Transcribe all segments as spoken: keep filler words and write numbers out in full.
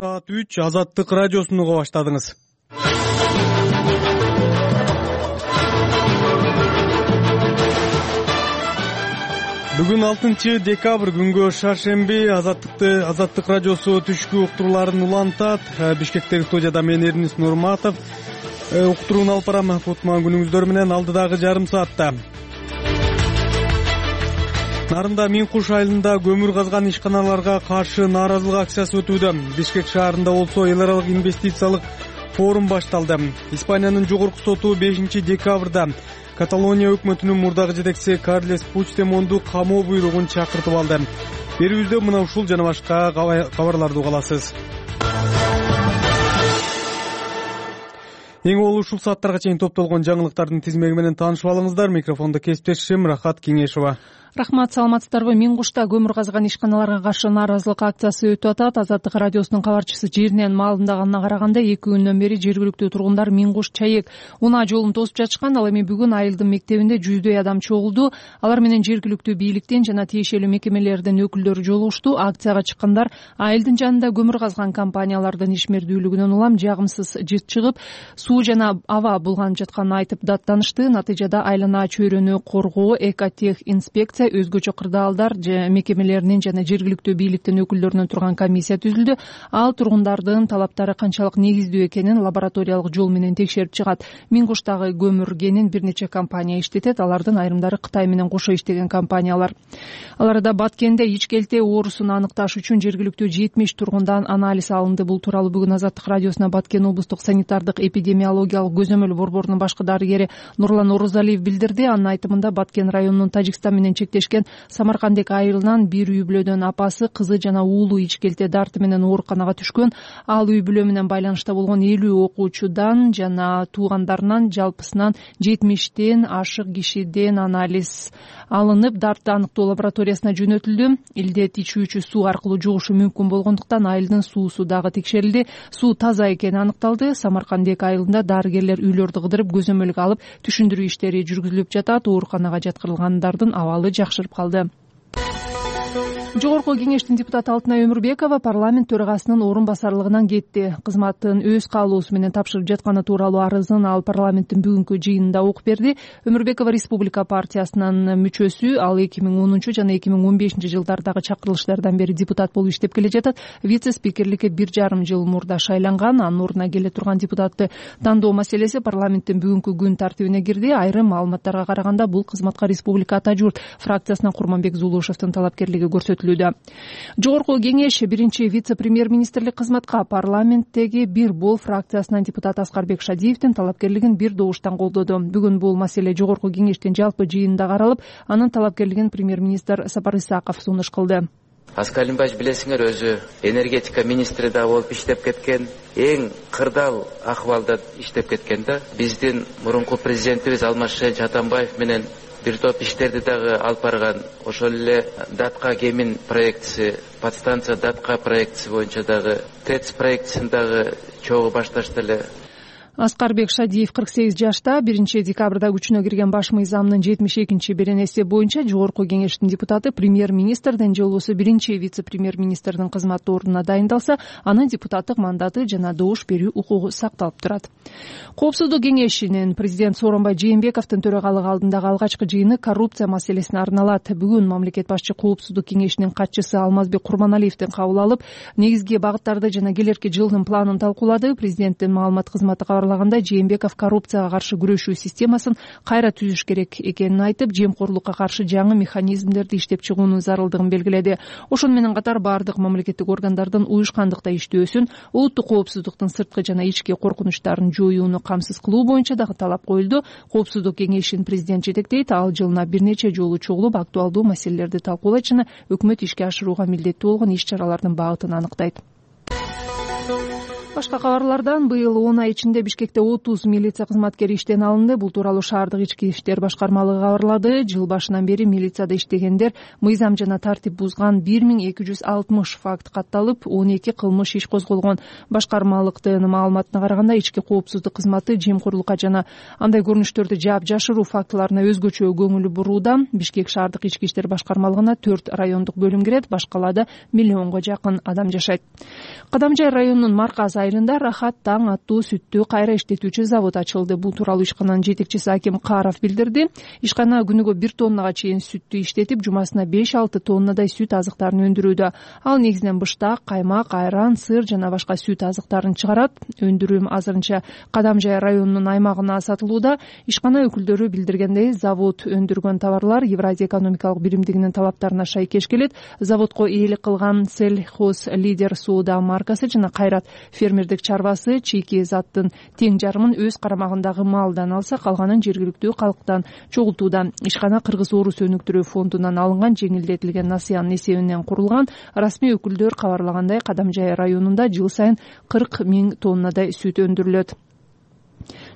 Саат үч Азаттык радиосун уга баштадыңыз. Бүгүн алтынчы декабрь күнгө шаршемби. Азаттыкты Азаттык радиосу түшкү уктурууларын улантат. Бишкектеги студияда мен Эрнис Нурматов. Уктурууну алып барам. Кутман күнүңүздөр менен алдыдагы жарым саатта. Нарында Миңкуш айылында көмүр казган ишканаларга каршы нааразылык акциясы өтүүдө. Бишкек шаарында болсо эл аралык инвестициялык форум башталды. Испаниянын жогорку соту бешинчи декабрда Каталония өкмөтүнүн мурдагы жетекчиси Карлес Пучдемонду камоо буйругун чакыртып алды. Берүүбүздө мына ушул жана башка кабарларды уга аласыз. Эң болуу ушул сааттарга чейин топтолгон жаңылыктардын тизмеги менен таанышып алыңыздар. Микрофондо кесиптешим Рахат Кеңешова. Рахмат, саламатсыздарбы? Миңкушта көмүр казган ишканаларга каршы нааразылык акциясы өтүп атат. Азаттык радиосунун кабарчысы жеринен маалымдаганына караганда эки күндөн бери жергиликтүү тургундар Миңкуш Чаек унаа жолун тосуп жатышкан. Ал эми бүгүн айылдын мектебинде жүздөй адам чогулду. Алар менен жергиликтүү бийликтен жана тиешелүү мекемелердин өкүлдөрү жолугушту. Акцияга чыккандар айылдын жанында көмүр казган компаниялардын ишмердүүлүгүнөн улам жагымсыз жыт чыгып, суу жана аба булганып жатканын айтып даттанышты. Натыйжада айлана чөйрөнү коргоо, Экотех инспекция, өзгөчө кырдаалдар мекемелеринин жана жергиликтүү бийликтин өкүлдөрүнөн турган комиссия түзүлдү. Ал тургундардын талаптары канчалык негиздүү экенин лабораториялык жол менен текшерип чыгат. Миңкуштагы көмүр кенин бир нече компания иштетет. Алардын айрымдары Кытай менен кошо иштеген компаниялар. Ал арада Баткенде ичкелте оорусун аныкташ үчүн жергиликтүү жетимиш тургундан анализ алынды. Бул тууралуу бүгүн Азаттык радиосуна Баткен облустук санитардык эпидемиологиялык көзөмөл борборунун башкы дарыгери Нурлан Орозалиев билдирди. Анын айтымында Баткен районунун Тажикстан менен чектешкен Самаркандек айылынан бир үй бүлөдөн апасы, кызы жана уулу ичкелте дарты менен ооруканага түшкөн. Ал үй бүлө менен байланышта болгон элүү окуучудан жана туугандарынан жалпысынан жетимиштен ашык кишиден анализ алынып, дартты аныктоо лабораториясына жөнөтүлдү. Илдет ичүүчү суу аркылуу жугушу мүмкүн болгондуктан айылдын суусу дагы текшерилди. Суу таза экени аныкталды. Самаркандек айылында дарыгерлер үйлөрдү кыдырып көзөмөлгө алып, түшүндүрүү иштери жүргүзүлүп жатат. Ооруканага жаткырылгандардын абалы жакшырып калды. Жогорку кеңештин депутаты Алтынай Өмүрбекова парламент төрагасынын орун басарлыгынан кетти. Кызматын өз каалоосу менен тапшырып жатканы тууралуу арызын ал парламенттин бүгүнкү жыйынында окуп берди. Өмүрбекова Республика партиясынын мүчөсү. Ал эки миң онунчу жана эки миң он бешинчи жылдардагы чакырылыштардан бери депутат болуп иштеп келе жатат. Вице-спикерликке бир жарым жыл мурда шайланган. Анын ордуна келе турган депутатты тандоо маселеси парламенттин бүгүнкү күн тартибине кирди. Айрым маалыматтарга караганда бул кызматка Республика Ата журт фракциясынан Курманбек Зулушевдин талапкерлиги көрсөтүлөт. Жогорку кеңеш биринчи вице-премьер-министрлик кызматка парламенттеги Бир бол фракциясынан депутат Аскарбек Шадиевдин талапкерлигин бир добуштан колдоду. Бүгүн бул маселе жогорку кеңештин жалпы жыйынында каралып, анын талапкерлигин премьер-министр Сапар Исаков сунуш кылды. Аскар Алимбаевич билесиңер, өзү энергетика министри да болуп иштеп кеткен, эң кырдаал акыбалда иштеп кеткен да. Биздин мурунку президентибиз Алмазбек Атамбаев менен бир топ иштерди дагы алып барган. Ошол эле Датка Кемин проектиси, подстанция Датка проектиси боюнча дагы, ТЭЦ проектисин дагы чогуу башташты эле. Аскарбек Шадиев кырк сегиз жашта. биринчи декабрда күчүнө кирген баш мыйзамдын жетимиш экинчи беренеси боюнча жогорку кеңештин депутаты премьер-министрдин же болбосо биринчи вице-премьер-министрдин кызмат ордуна дайындалса, анын депутаттык мандаты жана добуш берүү укугу сакталып турат. Коопсуздук кеңешинин президент Сооронбай Жээнбековдун төрагалыгы алдындагы алгачкы жыйыны коррупция маселесине арналат. Бүгүн мамлекет башчы Коопсуздук кеңешинин катчысы Алмазбек Курманалиевдин кабыл алып, негизги багыттарды жана келерки жылдын планын талкуулады. Президенттин маалымат кызматы кабарлаганда, Жээнбеков коррупцияга каршы күрөшүү системасын кайра түзүш керек экенин айтып, жемкорлукка каршы жаңы механизмдерди иштеп чыгуунун зарылдыгын белгиледи. Ошону менен катар бардык мамлекеттик органдардын уюшкандыкта иштөөсүн, улуттук коопсуздуктун сырткы жана ички коркунучтарын жоюуну камсыз кылуу боюнча дагы талап коюлду. Коопсуздук кеңешин президент жетектейт. Ал жылына бир нече жолу чогулуп, актуалдуу маселелерди талкуулайт жана өкмөт ишке ашырууга милдеттүү болгон иш-чаралардын багытын аныктайт. Башка кабарлардан быйыл он ай ичинде Бишкекте отуз милиция кызматкери иштен алынды. Бул тууралуу шаардык ички иштер башкармалыгы кабарлады. Жыл башынан бери милицияда иштегендер мыйзам жана тартип бузган бир миң эки жүз алтымыш факт катталып, он эки кылмыш иш козголгон. Башкармалыктын маалыматына караганда, ички коопсуздук кызматы жемкорлукка жана андай көрүнүштөрдү жаап жашыруу фактыларына өзгөчө көңүл бурууда. Бишкек шаардык ички иштер башкармалыгына төрт райондук бөлүм кирет, башкаларда миллионго жакын адам жашайт. Кадамжай районунун Марказ айылында Рахат таң аттуу сүттү кайра иштетүүчү завод ачылды. Бул тууралуу ишкананын жетекчиси Аким Каров билдирди. Ишкана күнүгө бир тоннага чейин сүттү иштетип, жумасына беш алты тоннадай сүт азыктарын өндүрүүдө. Ал негизинен быштак, каймак, айран, сыр жана башка сүт азыктарын чыгарат. Өндүрүм азырынча Кадамжай районунун аймагына сатылууда. Ишкана өкүлдөрү билдиргендей, завод өндүргөн товарлар Евразия экономикалык биримдигинин талаптарына шайкеш келет. Заводко ээлик кылган Сельхоз Лидер соода маркасы жана Кайрат фермердик чарбасы чийки заттын тең жарымын өз карамагындагы малдан алса, калганын жергиликтүү калктан чогултууда. Ишкана Кыргыз Орус өнүктүрүү фондунан алынган жеңилдетилген насыянын эсебинен курулган. Расмий өкүлдөр кабарлагандай, Кадамжай районунда жыл сайын кырк миң тоннадай сүт өндүрүлөт.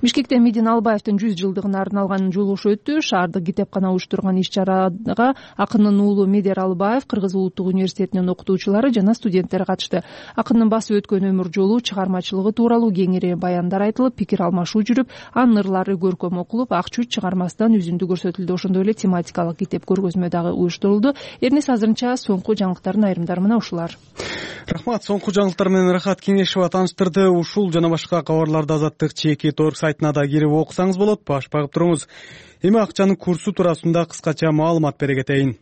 Бишкекте Медин Албаевдин жүз жылдыгына арналган жолугушу өттү. Шаардык китепкана уюштурган иш-чарага акындын уулу Медер Албаев, Кыргыз улуттук университетинин окутуучулары жана студенттер катышты. Акындын басып өткөн өмүр жолу, чыгармачылыгы тууралуу кеңири баяндар айтылып, пикир алмашуу жүрүп, анын ырлары көркөм окулуп, ак чүч чыгармасынан үзүндү көрсөтүлдү. Ошондой эле тематикалык китеп көргөзмө дагы уюштурулду. Эрнес азырынча соңку жаңылыктардын айрымдары мына ушулар. Рахмат. Соңку жаңылыктар менен Рахат Кеңешова тааныштырды. Ушул жана башка кабарларды Азаттык чеки торг сайтына да кирип окусаңыз болот. Баш багып туруңуз. Эми акчанын курсу туурасында кыскача маалымат бере кетейин.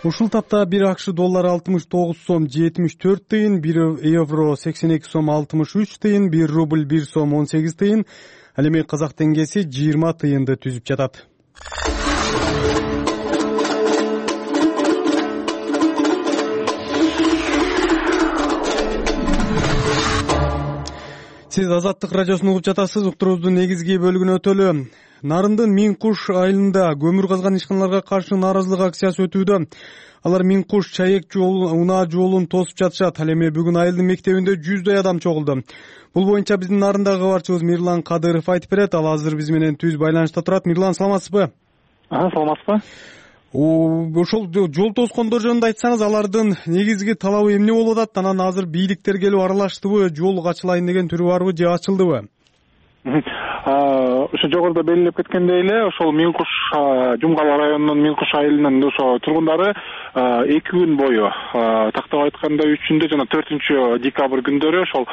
Ушул тапта бир акш доллары алтымыш тогуз сом жетимиш төрт тыйын, бир евро сексен эки сом алтымыш үч тыйын, бир рубль бир сом он сегиз тыйын, ал эми казак теңгеси жыйырма тыйынды түзүп жатат. Сиз Азаттык радиосун угуп жатасыз. Уктуруубуздун негизги бөлүгүнө өтөлү. Нарындын Миң Куш айылында көмүр казган ишканаларга каршы нааразылык акциясы өтүүдө. Алар Миң Куш чаек жол, унаа жолун тосуп жатышат. Ал эми бүгүн айылдын мектебинде жүздөй адам чогулду. Бул боюнча биздин Нарындагы кабарчыбыз Мирлан Кадыров айтып берет. Ал азыр биз менен түз байланышта турат. Мирлан, саламатсызбы? А, саламатсызбы? Ошол жол тоскондор жөнүндө айтсаңыз, алардын негизги талабы эмне болуп атат? Анан азыр бийликтер келип аралаштыбы, жол ачылайын деген түрү барбы же ачылдыбы? Ошо жогоруда белгилеп кеткендей эле, ошол Миң Куш Жумгал районунун Миң Куш айылынын ошо тургундары эки күн бою, тактап айтканда үчүндө жана төртүнчү декабрь күндөрү ошол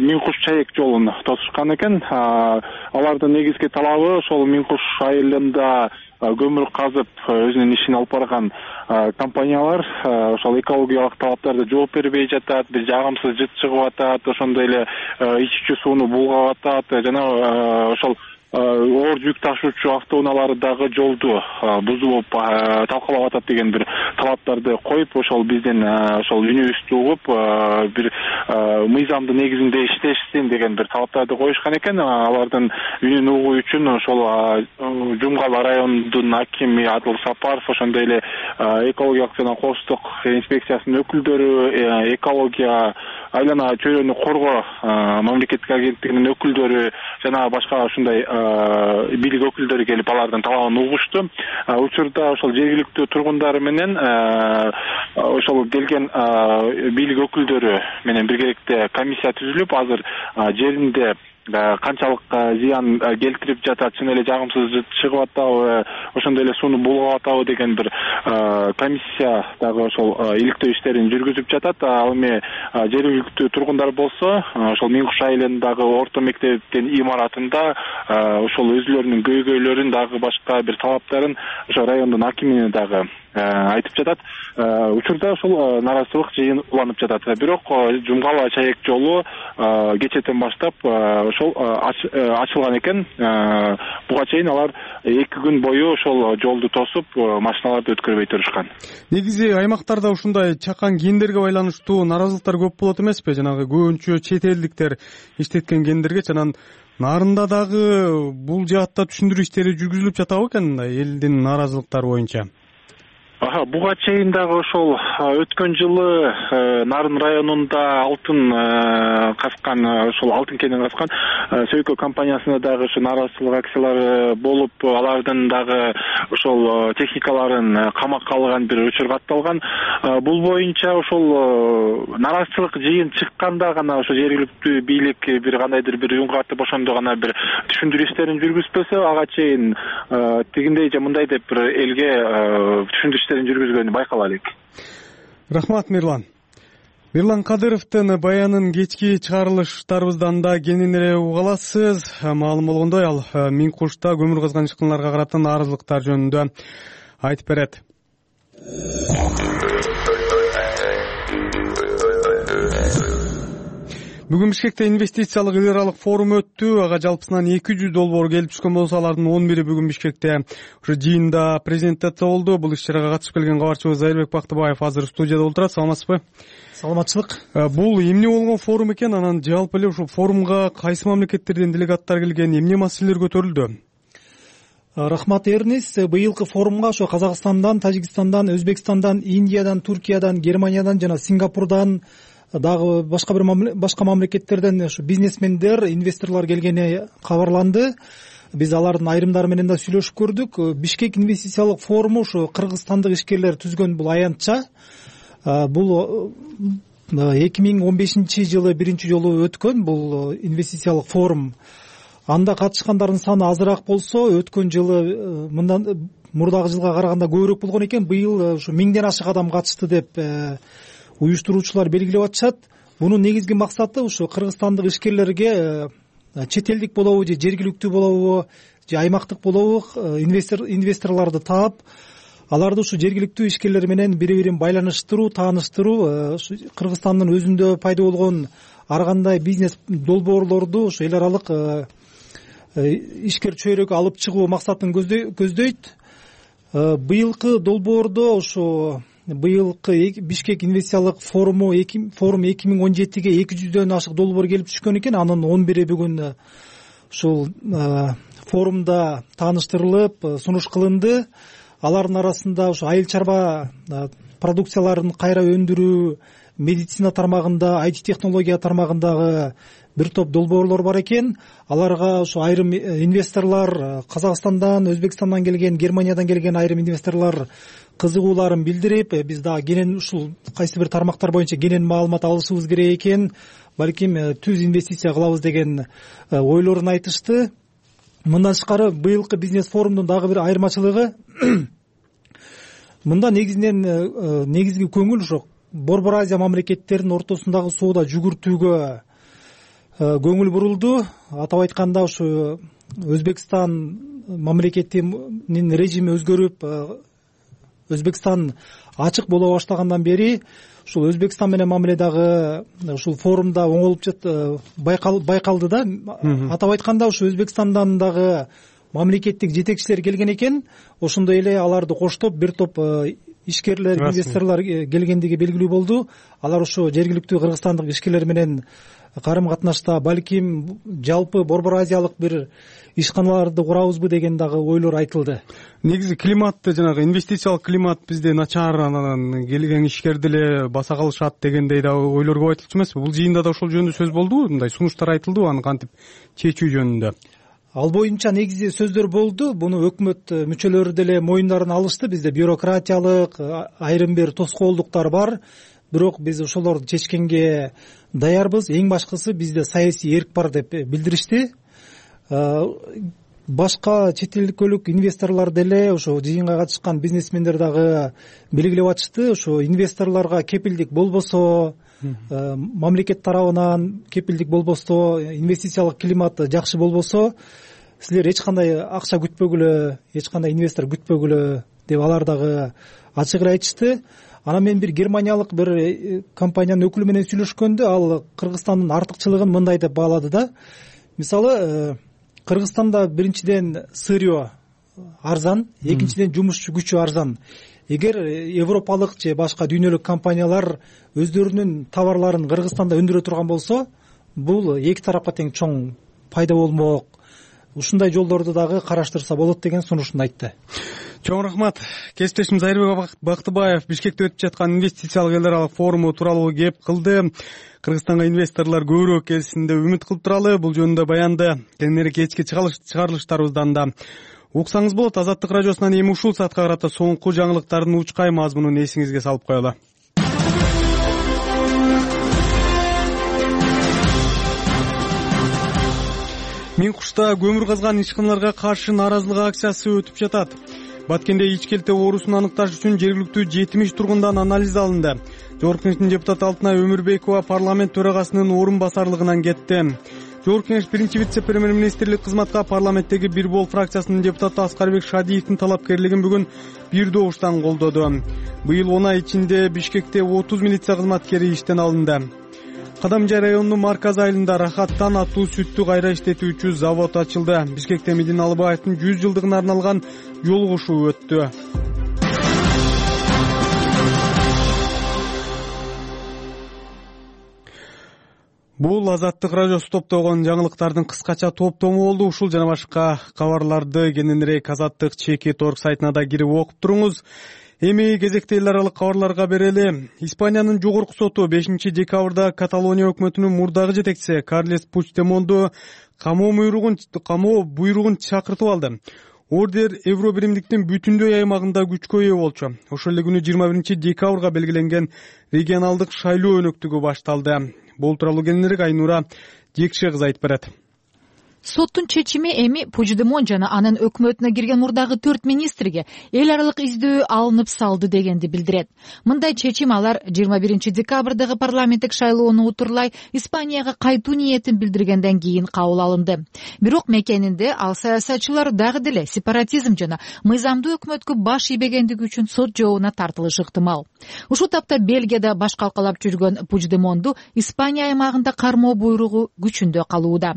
Миң Куш чаек жолун тосушкан экен. Алардын негизги талабы ошол Миң Куш айылында көмүр казып өзүнүн ишин алып барган компаниялар ошол экологиялык талаптарды жооп бербей жатат, бир жагымсыз жыт чыгып атат, ошондой эле ичүүчү сууну булгап атат жана ошол оор жүк ташуучу автоунаалары дагы жолду бузуп талкалап атат деген бир талаптарды коюп, ошол биздин ошол үнүбүздү угуп бир мыйзамдын негизинде иштешсин деген бир талаптарды коюшкан экен. Алардын үнүн угуу үчүн ошол Жумгал районунун акими Адыл Сапаров, ошондой эле экологиялык жана коопсуздук инспекциясынын өкүлдөрү, экология айлана чөйрөнү коргоо мамлекеттик агенттигинин өкүлдөрү жана башка ушундай бийлик өкүлдөрү келип алардын талабын угушту. Учурда ошол жергиликтүү тургундар менен ошол келген бийлик өкүлдөрү менен биргеликте комиссия түзүлүп, азыр жеринде канчалык зыян келтирип жатат, чын эле жагымсыз жыт чыгып атабы, ошондой эле сууну булгап атабы деген бир комиссия дагы ошол иликтөө иштерин жүргүзүп жатат. Ал эми жергиликтүү тургундар болсо ошол Миң Куш айылындагы орто мектептин имаратында ошол өзүлөрүнүн көйгөйлөрүн дагы башка бир талаптарын ошо райондун акимине дагы айтып жатат. Учурда ошол нааразычылык жыйын уланып жатат. Бирок Жумгал чаек жолу кечэтен баштап ошол ачылган экен. Буга чейин алар эки күн бою ошол жолду тосуп, машиналарды өткөрбөй турушкан. Негизи аймактарда ушундай чакан кендерге байланыштуу нааразылыктар көп болот эмеспи? Жанагы көбүнчө чет элдиктер иштеткен кендерге. Анан Нарында дагы бул жаатта түшүндүрүү иштери жүргүзүлүп жатабы экен элдин нааразылыктары боюнча? Буга чейин дагы ошол өткөн жылы Нарын районунда алтын каскан, ошол алтын кенин каскан Сөйкө компаниясына дагы ушу нааразычылык акциялары болуп, алардын дагы ошол техникаларын камакка алган бир учур катталган. Бул боюнча ошол нааразычылык жыйын чыкканда гана ошо жергиликтүү бийлик бир кандайдыр бир үн катып ошондо гана бир түшүндүрүү иштерин жүргүзбөсө, ага чейин тигиндей же мындай деп бир элге түшүндүрүү иштерин жүргүзгөнү байкала элек. Рахмат, Мирлан. Мирлан Кадыровдун баянын кечки чыгарылыштарыбыздан да кенен эле уга аласыз. Маалым болгондой, ал Миң Кушта көмүр казган ишканаларга карата нааразылыктар жөнүндө айтып берет. Бүгүн Бишкекте инвестициялык эл аралык форум өттү. Ага жалпысынан эки жүз долбоор келип түшкөн болсо, алардын он бири бүгүн Бишкекте ушу жыйында презентация болду. Бул иш-чарага катышып келген кабарчыбыз Зайырбек Бактыбаев азыр студияда отурат. Саламатсызбы? Саламатчылык. Бул эмне болгон форум экен? Анан жалпы эле ушул форумга кайсы мамлекеттерден делегаттар келген, эмне маселелер көтөрүлдү? Рахмат, Эрнис. Быйылкы форумга ошо Казакстандан, Тажикстандан, Өзбекстандан, Индиядан, Туркиядан, Германиядан жана Сингапурдан, дагы башка бир башка мамлекеттерден ушу бизнесмендер, инвесторлор келгени кабарланды. Биз алардын айрымдары менен да сүйлөшүп көрдүк. Бишкек инвестициялык форуму ушу кыргызстандык ишкерлер түзгөн бул аянтча. Бул эки миң он бешинчи жылы биринчи жолу өткөн бул инвестициялык форум. Анда катышкандардын саны азыраак болсо, өткөн жылы мындан мурдагы жылга караганда көбүрөөк болгон экен. Быйыл ушу миңден ашык адам катышты деп уюштуруучулар белгилеп атышат. Бунун негизги максаты ушу кыргызстандык ишкерлерге чет элдик болобу же жергиликтүү болобу же аймактык болобу инвестор инвесторлорду таап, аларды ушу жергиликтүү ишкерлер менен бири бирин байланыштыруу, тааныштыруу, Кыргызстандын өзүндө пайда болгон ар кандай бизнес долбоорлорду ушу эл аралык ишкер чөйрөгө алып чыгуу максатын көздөйт. Быйылкы долбоордо ушу быйылкы Бишкек инвестициялык форуму форум эки миң он жетиге эки жүздөн ашык долбоор келип түшкөн экен. Анын он бири бүгүн ушул форумда тааныштырылып, сунуш кылынды. Алардын арасында ушу айыл чарба продукцияларын кайра өндүрүү, медицина тармагында, ай ти технология тармагындагы бир топ долбоорлор бар экен. Аларга ушу айрым инвесторлор Казакстандан, Өзбекстандан келген, Германиядан келген айрым инвесторлор кызыгууларын билдирип, биз дагы кенен ушул кайсы бир тармактар боюнча кенен маалымат алышыбыз керек экен, балким түз инвестиция кылабыз деген ойлорун айтышты. Мындан тышкары быйылкы бизнес форумдун дагы бир айырмачылыгы мында негизинен негизги көңүл ошо Борбор Азия мамлекеттеринин ортосундагы соода жүгүртүүгө көңүл бурулду. Атап айтканда ушу Өзбекстан мамлекетинин режими өзгөрүп, Өзбекстан ачык боло баштагандан бери ушул Өзбекстан менен мамиледагы ушул форумда оңолуп жат байкалды да. Атап айтканда ушу Өзбекстандан дагы мамлекеттик жетекчилер келген экен. Ошондой эле аларды коштоп бир топ ишкерлер, инвесторлор келгендиги белгилүү болду. Алар ошо жергиликтүү кыргызстандык ишкерлер менен карым катнашта балким жалпы Борбор Азиялык бир ишканаларды курабызбы деген дагы ойлор айтылды. Негизи климатты, жанагы инвестициялык климат бизде начар, анан келген ишкерди эле баса калышат дегендей да ойлор көп айтылчу эмеспи? Бул жыйында да ошол жөнүндө сөз болдубу? Мындай сунуштар айтылдыбы аны кантип чечүү жөнүндө? Ал боюнча негизи сөздөр болду. Буну өкмөт мүчөлөрү деле моюндарына алышты. Бизде бюрократиялык айрым бир тоскоолдуктар бар. Бирок биз ошолорду чечкенге даярбыз. Эң башкысы бизде саясий эрк бар деп билдиришти. Башка чет элдик инвесторлор деле ошо жыйынга катышкан бизнесмендер дагы белгилеп атышты. Ошо инвесторлорго кепилдик болбосо, мамлекет тарабынан кепилдик болбосо, инвестициялык климат жакшы болбосо, силер эч кандай акча күтпөгүлө, эч кандай инвестор күтпөгүлө деп алар дагы ачык эле айтышты. Анан мен бир германиялык бир компаниянын өкүлү менен сүйлөшкөндө ал Кыргызстандын артыкчылыгын мындай деп баалады да. Мисалы, Кыргызстанда биринчиден сырьё арзан, экинчиден жумушчу күчү арзан. Эгер европалык же башка дүйнөлүк компаниялар өздөрүнүн товарларын Кыргызстанда өндүрө турган болсо, бул эки тарапка тең чоң пайда болмок. ушундай жолдорду дагы караштырса болот деген сунушун айтты. Чоң рахмат. Кесиптешим Зайырбек Бактыбаев Бишкекте өтүп жаткан инвестициялык эл аралык форуму тууралуу кеп кылды. Кыргызстанга инвесторлор көбүрөөк келсин деп үмүт кылып туралы. Бул жөнүндө баянды кийинирээк кечки чыгарылыштарыбыздан да уксаңыз болот. Азаттык радиосунан эми ушул саатка карата соңку жаңылыктардын учкай мазмунун эсиңизге салып коелу. Миң кушта көмүр казган ишканаларга каршы нааразылык акциясы өтүп жатат. Баткенде ичкелте оорусун аныкташ үчүн жергиликтүү жетимиш тургундан анализ алынды. Жогорку Кеңештин депутаты Алтынай Өмүрбекова парламент төрагасынын орун басарлыгынан кетти. Жогорку Кеңеш биринчи вице-премьер-министрлик кызматка парламенттеги Бир Бол фракциясынын депутаты Аскарбек Шадиевдин талапкерлигин бүгүн бир добуштан колдоду. Быйыл он ай ичинде Бишкекте отуз милиция кызматкери иштен алынды. Кадамжай районунун марказ айылында Рахаттан аттуу сүттү кайра иштетүүчү завод ачылды. Бишкекте Медина Алыбаевдин жүз жылдыгына арналган жол кошуу өттү. Бул Азаттык радиосу топтогон жаңылыктардын кыскача топтому болду. Ушул жана башка кабарларды кененирээк Азаттык чеки торг сайтына да кирип окуп туруңуз. Эми кезекте эл аралык кабарларга берели. Испаниянын жогорку соту бешинчи декабрда Каталония өкмөтүнүн мурдагы жетекчиси Карлес Пучдемонду камоо буйругун камоо буйругун чакыртып алды. Ордер Евро биримдиктин бүтүндөй аймагында күчкө ээ болчу. Ошол эле күнү жыйырма биринчи декабрга белгиленген регионалдык шайлоо өнөктүгү башталды. Бул тууралуу кененирээк Айнура Жекше кызы айтып берет. Соттун чечими эми Пучдемон жана анын өкмөтүнө кирген мурдагы төрт министрге эл аралык издөө алынып салды дегенди билдирет. Мындай чечим алар жыйырма биринчи декабрдагы парламенттик шайлоону утурлай Испанияга кайтуу ниетин билдиргенден кийин кабыл алынды. Бирок мекенинде ал саясатчылар дагы деле сепаратизм жана мыйзамдуу өкмөткө баш ийбегендиги үчүн сот жообуна тартылышы ыктымал. Ушул тапта Бельгияда баш калкалап жүргөн Пучдемонду Испания аймагында кармоо буйругу күчүндө калууда.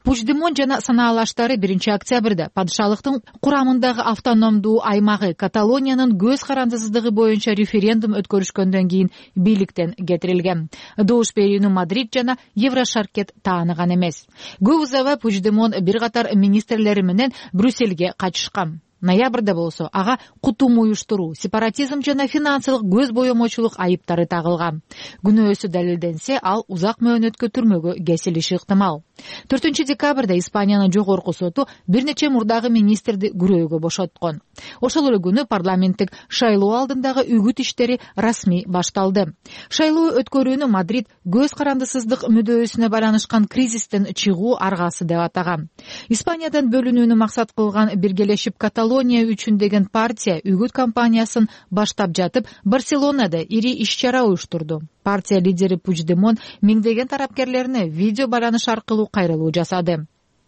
Пучдемон жана санаалаштары биринчи октябрда падышалыктын курамындагы автономдуу аймагы Каталониянын көз карандысыздыгы боюнча референдум өткөрүшкөндөн кийин бийликтен кетирилген. Добуш берүүнү Мадрид жана Еврошаркет тааныган эмес. Көп узабай Пучдемон бир катар министрлери менен Брюссельге качышкан. Ноябрда болсо ага кутум уюштуруу, сепаратизм жана финансылык көз боемочулук айыптары тагылган. Күнөөсү далилденсе, ал узак мөөнөткө түрмөгө кесилиши ыктымал. төртүнчү декабрда Испаниянын жогорку соту бир нече мурдагы министрди күрөөгө бошоткон. Ошол эле күнү парламенттик шайлоо алдындагы үгүт иштери расмий башталды. Шайлоо өткөрүүнү Мадрид көз карандысыздык мүдөөсүнө байланышкан кризистен чыгуу аргасы деп атаган. Испаниядан бөлүнүүнү максат кылган Биргелешип Каталония үчүн деген партия үгүт кампаниясын баштап жатып, Барселонада ири иш-чара уюштурду. Партия лидери Пучдемон миңдеген тарапкерлерине видео байланыш аркылуу кайрылуу жасады.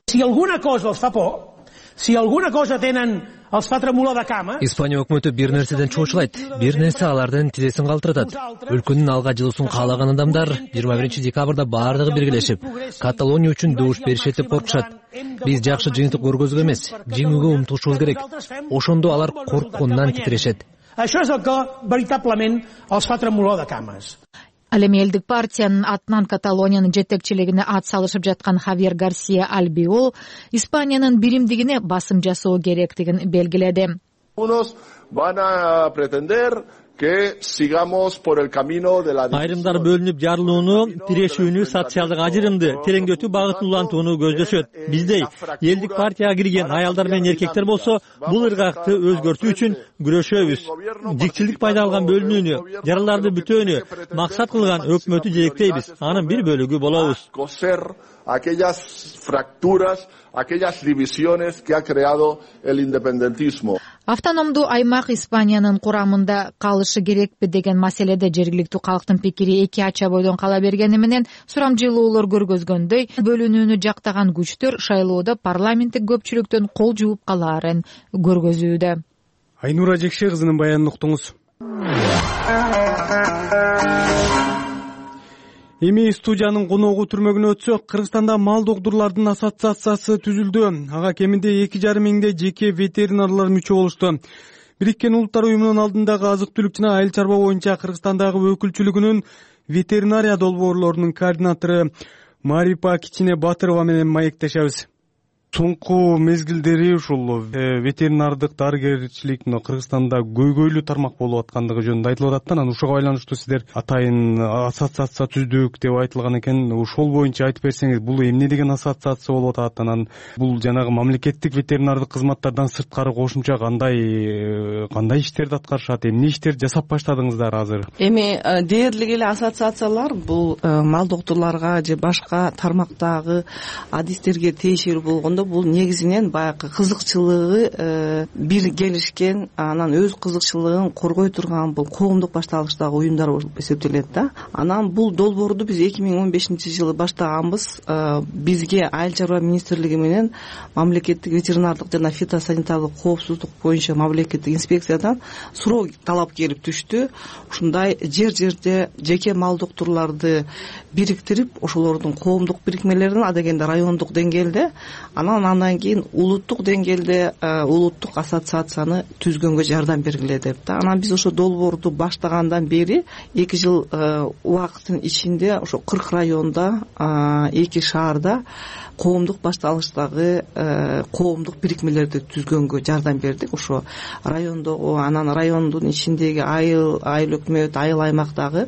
Si alguna cosa els fa por, si alguna cosa tenen els fa tremolar de cama. Испания өкмөтү бир нерседен чоочулайт, бир нерсе алардын тизесин калтыратат. Өлкөнүн алга жылуусун каалаган адамдар жыйырма биринчи декабрда баардыгы биргелешип, Каталония үчүн добуш беришет деп коркушат. Биз жакшы жыйынтык көргөзгө эмес, жеңүүгө умтулушубуз керек. Ошондо алар корккондон титирешет. Això és el que veritablement els fa tremolar de cames. Ал эми элдик партиянын атынан Каталониянын жетекчилигине ат салышып жаткан Хавьер Гарсия Альбиол Испаниянын биримдигине басым жасоо керектигин белгиледи. Айрымдар бөлүнүп жарылууну, тирешүүнү, социалдык ажырымды, тереңдетүү багытын улантууну көздөшөт. Биздей элдик партияга кирген аялдар менен эркектер болсо, бул ыргакты өзгөртүү үчүн күрөшөбүз. Жикчилдик пайда алган бөлүнүүнү, жараларды бүтөөнү максат кылган өкмөтү жетектейбиз. Анын бир бөлүгү болобуз. Aquellas fracturas, aquellas divisiones que ha creado el independentismo. Автономдуу аймак Испаниянын курамында калышы керекпи деген маселеде жергиликтүү калктын пикири эки ача бойдон кала бергени менен сурамжылоолор көргөзгөндөй, бөлүнүүнү жактаган күчтөр шайлоодо парламенттик көпчүлүктөн кол жууп калаарын көргөзүүдө. Айнура Жекше кызынын баянын уктуңуз. Эми студиянын коногу түрмөгүнө өтсөк, Кыргызстанда мал докторлордун ассоциациясы түзүлдү. Ага кеминде эки жарым миңдей жеке ветеринарлар мүчө болушту. Бириккен Улуттар уюмунун алдындагы азык-түлүк жана айыл чарба боюнча Кыргызстандагы өкүлчүлүгүнүн ветеринария долбоорлорунун координатору Марипа Кичине Батырова менен маектешебиз. соңку мезгилдери ушул ветеринардык дарыгерчилик Кыргызстанда көйгөйлүү тармак болуп аткандыгы жөнүндө айтылып атат да, анан ушуга байланыштуу сиздер атайын ассоциация түздүк деп айтылган экен. Ошол боюнча айтып берсеңиз, бул эмне деген ассоциация болуп атат, анан бул жанагы мамлекеттик ветеринардык кызматтардан сырткары кошумча кандай кандай иштерди аткарышат, эмне иштер жасап баштадыңыздар азыр? Эми дээрлик эле ассоциациялар бул мал доктурларга же башка тармактагы адистерге тиешелүү болгондо бул негизинен баягы кызыкчылыгы бир келишкен, анан өз кызыкчылыгын коргой турган бул коомдук башталыштагы уюмдар болуп эсептелет да. Анан бул долбоорду биз эки миң он бешинчи жылы баштаганбыз. Бизге Айыл чарба министрлиги менен мамлекеттик ветеринардык жана фитосанитардык коопсуздук боюнча мамлекеттик инспекциядан суроо талап келип түштү. Ушундай жер жерде жеке мал доктурларды бириктирип, ошолордун коомдук бирикмелерин адегенде райондук деңгээлде, анан андан кийин улуттук деңгээлде улуттук ассоциацияны түзгөнгө жардам бергиле деп да. Анан биз ошо долбоорду баштагандан бери эки жыл убакыттын ичинде ошо кырк районда, эки шаарда коомдук башталыштагы коомдук бирикмелерди түзгөнгө жардам бердик. Ошо райондогу, анан райондун ичиндеги айыл айыл өкмөт, айыл аймактагы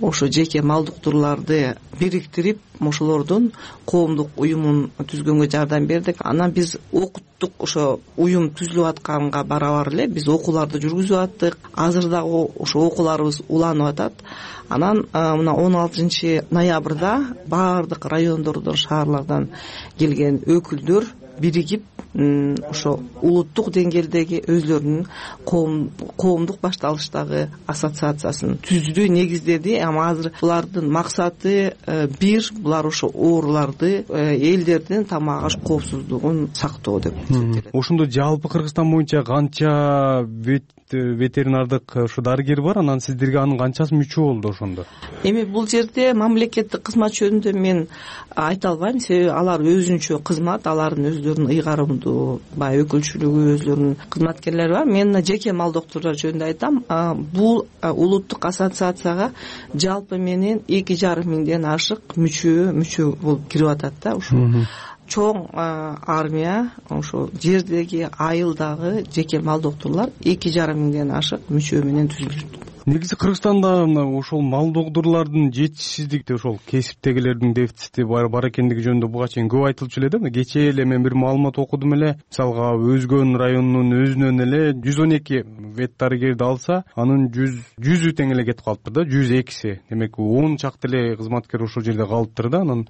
ошо жеке мал доктурларды бириктирип, ошолордун коомдук уюмун түзгөнгө жардам бердик. Анан биз окуттук, ошо уюм түзүлүп атканга барабар эле биз окууларды жүргүзүп аттык. Азыр дагы ошо окууларыбыз уланып атат. Анан мына он алтынчы ноябрда баардык райондордон, шаарлардан келген өкүлдөр биригип ошо улуттук деңгээлдеги өзлөрүнүн коомдук башталыштагы ассоциациясын түздү, негиздеди. Ама азыр булардын максаты бир, булар ошо ооруларды, элдердин тамак аш коопсуздугун сактоо деп эсептелет. Ошондо жалпы Кыргызстан боюнча канча ветеринардык ушу дарыгер бар, анан сиздерге анын канчасы мүчө болду ошондо? Эми бул жерде мамлекеттик кызмат жөнүндө мен айта албайм, себеби алар өзүнчө кызмат, алардын өздөрүнүн ыйгарымдуу баягы өкүлчүлүгү, өзлөрүнүн кызматкерлери бар. Мен жеке мал доктурлар жөнүндө айтам. Бул улуттук ассоциацияга жалпы менен эки жарым миңден ашык мүчө мүчө болуп кирип атат да. Ушу чоң армия, ошо жердеги айылдагы жеке мал доктурлар эки жарым миңден ашык мүчө менен түзүлүп. Негизи Кыргызстанда ошол мал доктурлардын жетишсиздиги, ошол кесиптегилердин дефицити бар бар экендиги жөнүндө буга чейин көп айтылчу эле да. Кечээ эле мен бир маалымат окудум эле. Мисалга Өзгөн районунун өзүнөн эле жүз он эки вет дарыгерди алса, анын жүз жүзү тең эле кетип калыптыр да, жүз экиси. Демек он чакты эле кызматкер ошол жерде калыптыр да. Анан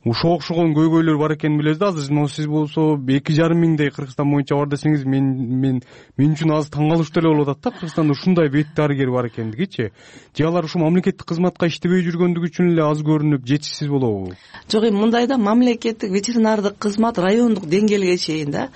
ушуга окшогон көйгөйлөр бар экенин билебиз да. Азыр могу сиз болсо эки жарым миңдей Кыргызстан боюнча бар десеңиз, мен мен мен үчүн азыр таң калыштуу эле болуп атат да, Кыргызстанда ушундай вет дарыгер бар экендигичи. Же алар ушу мамлекеттик кызматка иштебей жүргөндүгү үчүн эле аз көрүнүп, жетишсиз болобу? Жок, эми мындай да, мамлекеттик ветеринардык кызмат райондук деңгээлге чейин да.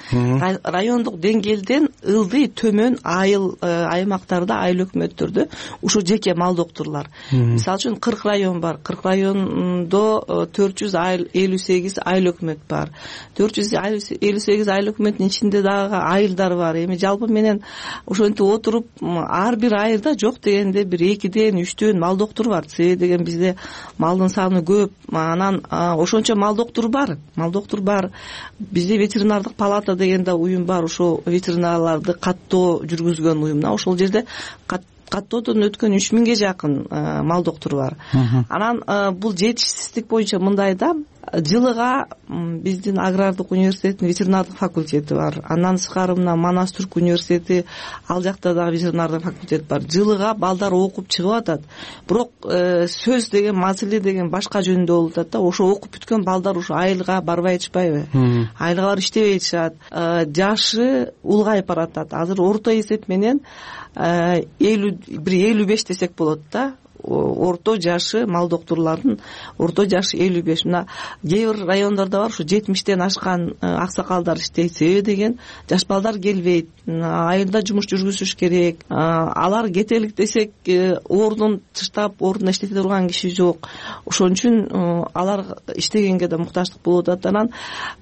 Райондук деңгээлден ылдый төмөн айыл аймактарда, айыл өкмөттөрдө ушу жеке мал доктурлар. Мисалы үчүн кырк район бар. кырк райондо төрт жүз элүү сегиз айыл өкмөт бар. төрт жүз элүү сегиз айыл өкмөттүн ичинде дагы айылдар бар. Эми жалпы менен ошентип отуруп, ар бир айылда жок дегенде бир экиден үчтөн мал доктур бар. Себеби деген бизде малдын саны көп. Анан ошончо мал доктур бар. Мал доктур бар. Бизде ветеринардык палата деген да уюм бар. Ошо ветеринарларды каттоо жүргүзгөн уюмна. Ошол жерде каттоодон өткөн үч миңге жакын мал доктуру бар. Анан бул жетишсиздик боюнча мындай да, жылыга биздин агрардык университеттин ветеринардык факультети бар. Андан сырткары мына Манас Түрк университети, ал жакта дагы ветеринардык факультет бар. Жылыга балдар окуп чыгып атат. Бирок сөз деген, маселе деген башка жөнүндө болуп атат да. Ошо окуп бүткөн балдар ошо айылга барбай атышпайбы? Айылга барып иштебей атышат. Жашы улгайып баратат. Азыр орто эсеп менен элүү бир элүү беш десек болот да. Орто жашы мал доктурлардын орто жашы элүү беш. Мына кээ бир райондордо бар, ушу жетимиштен ашкан аксакалдар иштейт. Себеби деген жаш балдар келбейт. Айылда жумуш жүргүзүш керек. Алар кетелик десек, ордун тыштап, ордуна иштете турган киши жок. Ошон үчүн алар иштегенге да муктаждык болуп атат. Анан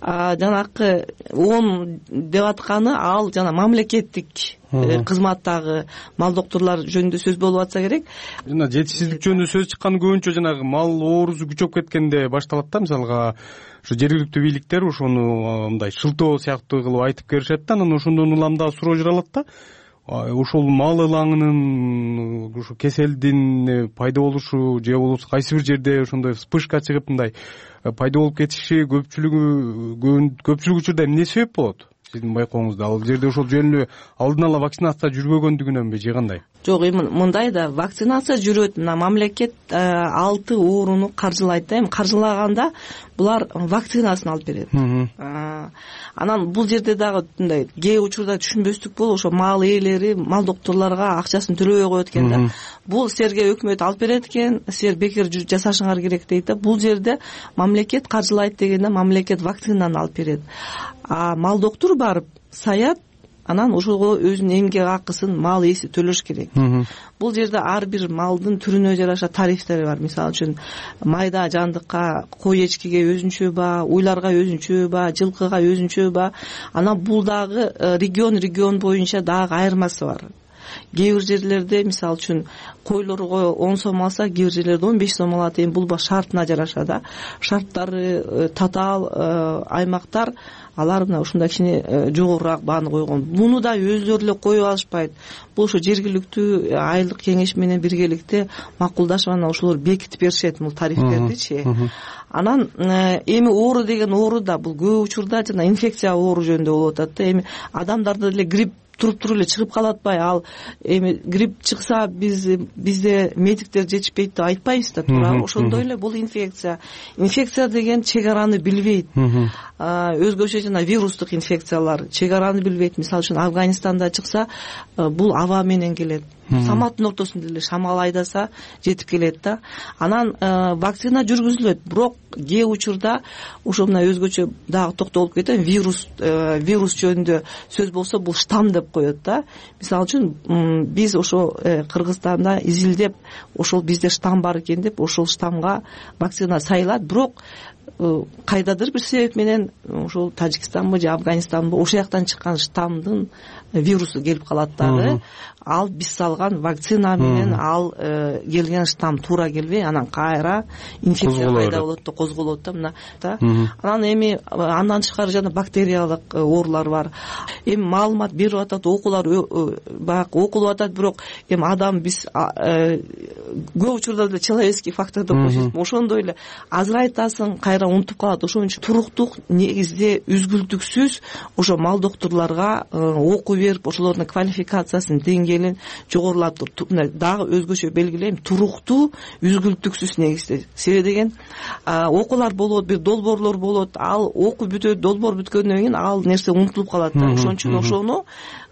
жанакы он деп атканы ал жана мамлекеттик кызматтагы мал доктурлар жөнүндө сөз болуп атса керек. Жана жетишсиздик жөнүндө сөз чыккан көбүнчө жанагы мал оорусу күчөп кеткенде башталат да. Мисалга ушу жергиликтүү бийликтер ошону мындай шылтоо сыяктуу кылып айтып беришет да, анан ошондон улам дагы суроо жаралат да. Ошол мал ылаңынын ушу кеселдин пайда болушу же болбосо кайсы бир жерде ошондой вспышка чыгып мындай пайда болуп кетиши көпчүлүгү көпчүлүк учурда эмне себеп болот? Сиздин байкооңузда ал жерде ошол жөнүндө алдын ала вакцинация жүрбөгөндүгүнөнбү же кандай? Жок, эми мындай да, вакцинация жүрөт. Мына мамлекет алты ооруну каржылайт да. Эми каржылаганда булар вакцинасын алып берет. Анан бул жерде дагы мындай кээ учурда түшүнбөстүк болуп, ошо мал ээлери мал докторлорго акчасын төлөбөй коет экен да. Бул силерге өкмөт алып берет экен, силер бекер жасашыңар керек дейт да. Бул жерде мамлекет каржылайт дегенде мамлекет вакцинаны алып берет. А мал доктор барып саят, анан ошого өзүнүн эмгек акысын, мал ээси төлөш керек. Бул жерде ар бир малдын түрүнө жараша тарифтери бар. Мисалы үчүн майда жандыкка, кой эчкиге өзүнчө ба, уйларга өзүнчө ба, жылкыга өзүнчө ба. Анан бул дагы регион регион боюнча дагы айырмасы бар. Кээ бир жерлерде мисалы үчүн койлорго он сом алса, кээ бир жерлерде он беш сом алат. Эми бул шартына жараша да. Шарттары татаал аймактар алар мына ушундай кичине жогорураак бааны койгон. Муну да өздөрү эле коюп алышпайт. Бул ошо жергиликтүү айылдык кеңеш менен биргеликте макулдашып анан ошолор бекитип беришет бул тарифтердичи. Анан эми оору деген оору да бул көп учурда жана инфекция оору жөнүндө болуп атат да. Эми адамдарда деле грипп туруп туруп эле чыгып калат атпайбы? Ал эми грипп чыкса биз бизде медиктер жетишпейт деп айтпайбыз да, туурабы? Ошондой эле бул инфекция. Инфекция деген чек араны билбейт. Өзгөчө жана вирустук инфекциялар чек араны билбейт. Мисалы үчүн Афганистанда чыкса, бул аба менен келет. Саматтын ортосунда эле шамал айдаса жетип келет да. Анан вакцина жүргүзүлөт, бирок кээ учурда ошо мына өзгөчө дагы токтолуп кетем, вирус вирус жөнүндө сөз болсо бул штамм деп коет да. Мисалы үчүн биз ошо Кыргызстанда изилдеп, ошол бизде штамм бар экен деп ошол штаммга вакцина сайылат, бирок кайдадыр бир себеп менен ошол Тажикстанбы же Афганистанбы ошол жактан чыккан штаммдын вирусу келип калат дагы. Ал биз салган вакцина менен ал келген штамм туура келбей, анан кайра инфекция пайда болот да, козголот да мына да. Анан эми андан тышкары жана бактериялык оорулар бар. Эми маалымат берип атат, окуулар баягы окулуп атат, бирок эми адам биз көп учурда деле человеческий фактор деп коебуз. Ошондой эле азырайтасың, кайра унутуп калат. Ошон үчүн туруктук негизде үзгүлтүксүз ошо мал докторлорго окуу берип, ошолордун квалификациясын деңгээлин жогорулатып, дагы өзгөчө белгилейм, туруктуу үзгүлтүксүз негизде. Себеби деген окуулар болот, бир долбоорлор болот, ал окуу бүтөт, долбоор бүткөндөн кийин ал нерсе унутулуп калат да. Ошон үчүн ошону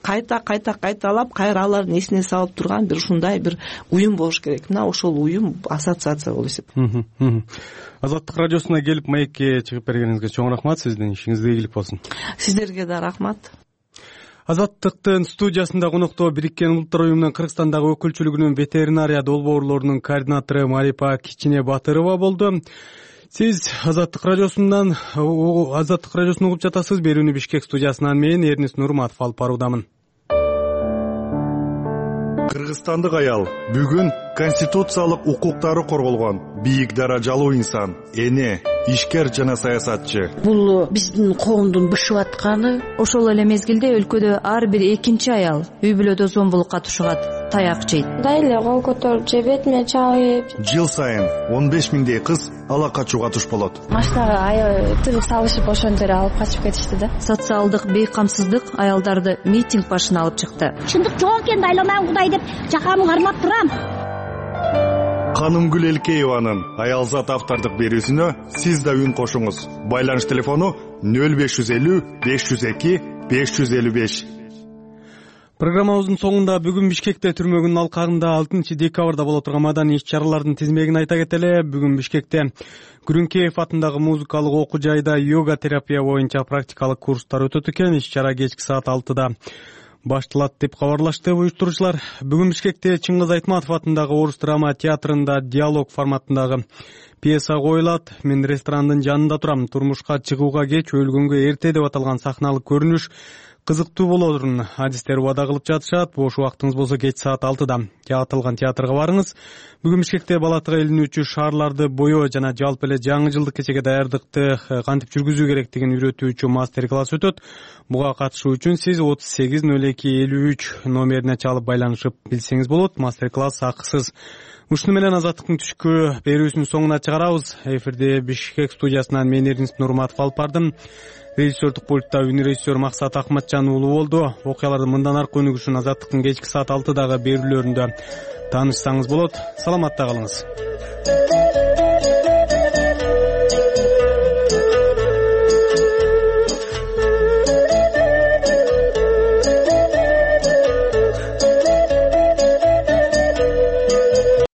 кайта кайта кайталап, кайра алардын эсине салып турган бир ушундай бир уюм болуш керек. Мына ошол уюм ассоциация болуп эсептелет. Азаттык радиосуна келип маекке чыгып бергениңизге чоң рахмат. Сиздин ишиңизге ийгилик болсун. Сиздерге да рахмат. Азаттыктын студиясында конокто Бириккен Улуттар уюмунун Кыргызстандагы өкүлчүлүгүнүн ветеринария долбоорлорунун координатору Марипа Кичине Батырова болду. Сиз Азаттык радиосунан Азаттык радиосун угуп жатасыз. Берүүнү Бишкек студиясынан мен Эрнис Нурматов алып баруудамын. Кыргызстандык аял бүгүн конституциялык укуктары корголгон бийик даражалуу инсан, эне, ишкер жана саясатчы. Бул биздин коомдун бышып атканы. Ошол эле мезгилде өлкөдө ар бир экинчи аял үй бүлөдө зомбулукка тушугат, таяк жейт. Дайле кол көтөрүп же бетиме чабып. Жыл сайын он беш миңдей кыз ала качууга туш болот. Машинага аябай тыгып салышып ошон жерге алып качып кетишти да. Социалдык бейкамсыздык аялдарды митинг башына алып чыкты. Чындык жок экен, дайламан Кудай деп жакамы кармап турам. Канымгүл Элкееванын аялзат автордук берүүсүнө сиз да үн кошуңуз. Байланыш телефону нөл беш жүз элүү беш жүз эки беш жүз элүү беш. Программабыздын соңунда бүгүн Бишкекте түрмөгүнүн алкагында алтынчы декабрда боло турган маданий иш-чаралардын тизмегин айта кетели. Бүгүн Бишкекте Күрүнкеев атындагы музыкалык окуу жайда йога терапия боюнча практикалык курстар өтөт экен. Иш-чара кечки саат алтыда башталат деп кабарлашты уюштуруучулар. Бүгүн Бишкекте Чыңгыз Айтматов атындагы Орус драма театрында диалог форматындагы пьеса коюлат. Мен ресторандын жанында турам. Турмушка чыгууга кеч, өлгөнгө эрте деп аталган сахналык көрүнүш кызыктуу болорун адистер убада кылып жатышат. Бош убактыңыз болсо кеч саат алтыда аталган театрга барыңыз. Бүгүн Бишкекте бала тыга илинүүчү шаарларды боё жана жалпы эле жаңы жылдык кечеге даярдыкты кантип жүргүзүү керектигин үйрөтүүчү мастер класс өтөт. Буга катышуу үчүн сиз отуз сегиз ноль эки элүү үч номерине чалып байланышып билсеңиз болот. Мастер класс акысыз. Ушуну менен Азаттыктын түшкү берүүсүнүн соңуна чыгарабыз. Эфирде Бишкек студиясынан мен Эрдинис Нурматов алып бардым. Режиссердук пультта үнрежиссер Максат Акматжан уулу болду. Окуялардын мындан аркы өнүгүшүн Азаттыктын кечки саат алтыдагы берүүлөрүндө таанышсаңыз болот. Саламатта калыңыз.